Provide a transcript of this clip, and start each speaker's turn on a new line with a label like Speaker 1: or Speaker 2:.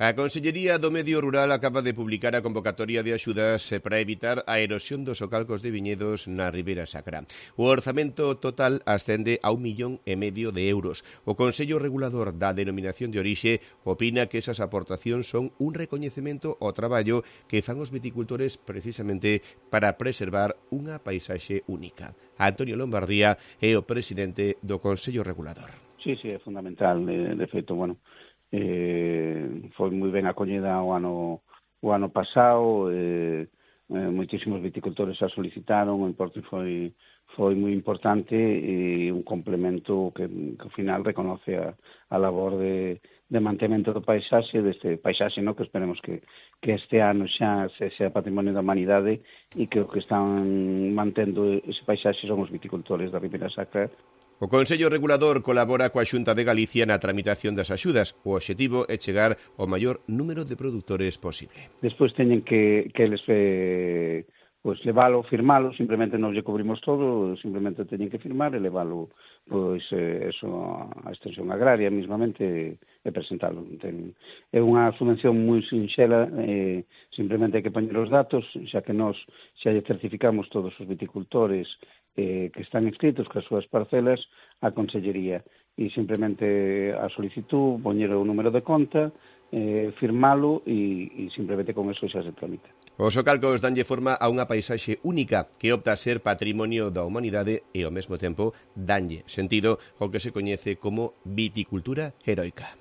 Speaker 1: A Consellería do Medio Rural acaba de publicar a convocatoria de axudas para evitar a erosión dos socalcos de viñedos na Ribeira Sacra. O orzamento total ascende a 1,5 millón de euros. O Consello Regulador da Denominación de Orixe opina que esas aportacións son un recoñecemento ao traballo que fan os viticultores precisamente para preservar unha paisaxe única. Antonio Lombardía é o presidente do Consello Regulador.
Speaker 2: Sí, é fundamental. De feito, foi moi ben acollida o ano pasado, moitísimos viticultores a solicitaron, o importe foi moi importante e un complemento que ao final reconoce a labor de mantemento do paisaxe, deste paisaxe, que esperemos que este ano xa sea patrimonio da humanidade e que o que están mantendo ese paisaxe son os viticultores da Ribeira Sacra.
Speaker 1: O Consello Regulador colabora coa Xunta de Galicia na tramitación das axudas. O obxectivo é chegar ao maior número de produtores posible.
Speaker 2: Despois teñen que eles levalo, firmalo, simplemente non lle cubrimos todo, simplemente teñen que firmar e levalo eso a extensión agraria mismamente e presentalo. É unha subvención moi sinxela, simplemente hai que poñer os datos, xa que nós xa lle certificamos todos os viticultores que están inscritos coas súas parcelas á Consellería e simplemente a solicitud, poñer o número de conta, firmalo e simplemente con eso xa se tramita.
Speaker 1: Os socalcos danlle forma a unha paisaxe única que opta a ser patrimonio da humanidade e ao mesmo tempo danlle sentido ao que se coñece como viticultura heroica.